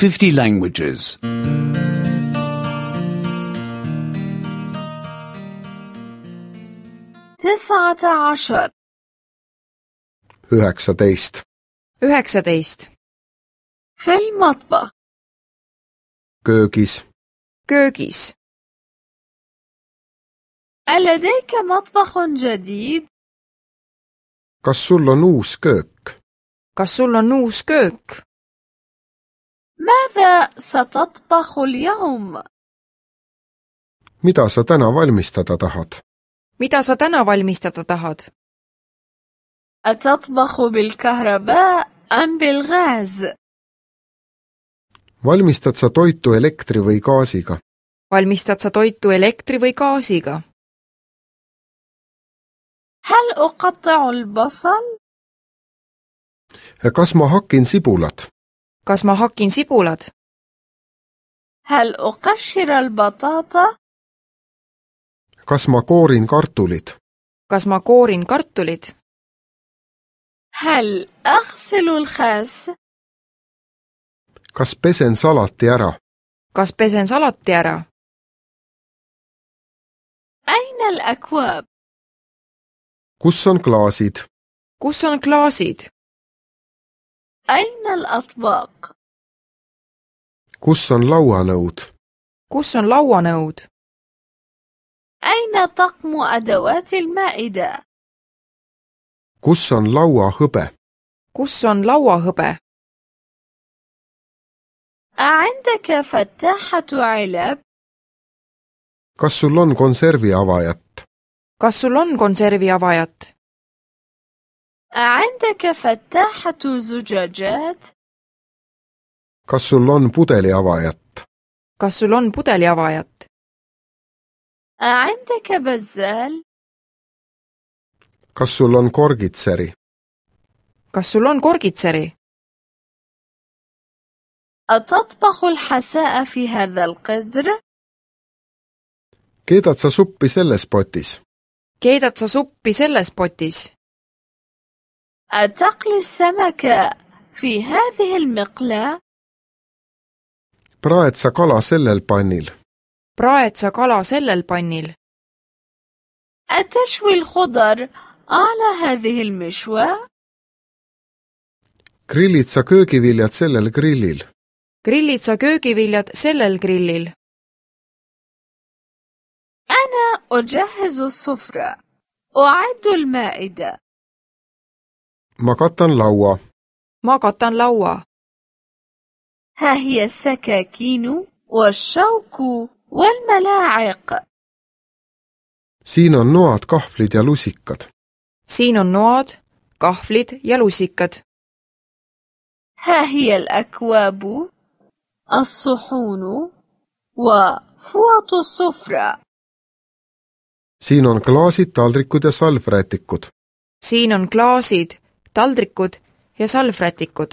50 languages. 19 19 19 في المطبخ köögis, köögis ألديك مطبخ جديد؟ kas sul on uus köök? kas sul on uus köök? ماذا ستطبخ اليوم؟ mida sa täna valmistada tahad? mida sa täna valmistada tahad? أتطبخ بالكهرباء أم بالغاز؟ valmistad sa toitu elektri või gaasiga? valmistad sa toitu elektri või gaasiga? هل أقطع البصل؟ kas ma hakin sibulat? kas ma hakin sibulad? هل أقشر البطاطا؟ kas ma koorin kartulid? kas ma koorin kartulid? هل أغسل الخس؟ kas pesen salati ära? kas pesen salati ära? أين الأكواب؟ kus on klaasid? kus on klaasid? أين الأطباق؟ kus on lauanõud? kus on lauanõud? أين طقم أدوات المائدة؟ kus on lauahõbe? kus on lauahõbe? أعندك فتاحة علب؟ kas sul on konserviavajat? kas sul on konserviavajat? أعندك فتاحة زجاجات؟ kas sul on pudeliavajat? kas sul on pudeliavajat? أعندك بزال؟ kas sul on korgitseri? kas sul on korgitseri? أتطبخ الحساء في هذا القدر؟ keedad sa suppi selles potis? keedad sa suppi selles potis? أتقلي السمك في هذه المقلاة؟ praed sa kala sellel pannil? praed sa kala sellel pannil? أتشوي الخضر على هذه المشوى؟ grillid sa köögiviljad sellel grillil? grillid sa köögiviljad sellel grillil? أنا أجهز السفرة. أعد المائدة. ma katan laua. ma katan laua. ها هي السكاكين والشوك والملاعق. siin on noad, kahvlid ja lusikad. siin on noad, kahvlid ja lusikad. ها هي الأكواب، الصحون وفوط السفرة. siin on klaasid, taldrikud ja salvrätikud. siin on klaasid, taldrikud ja salvrätikud.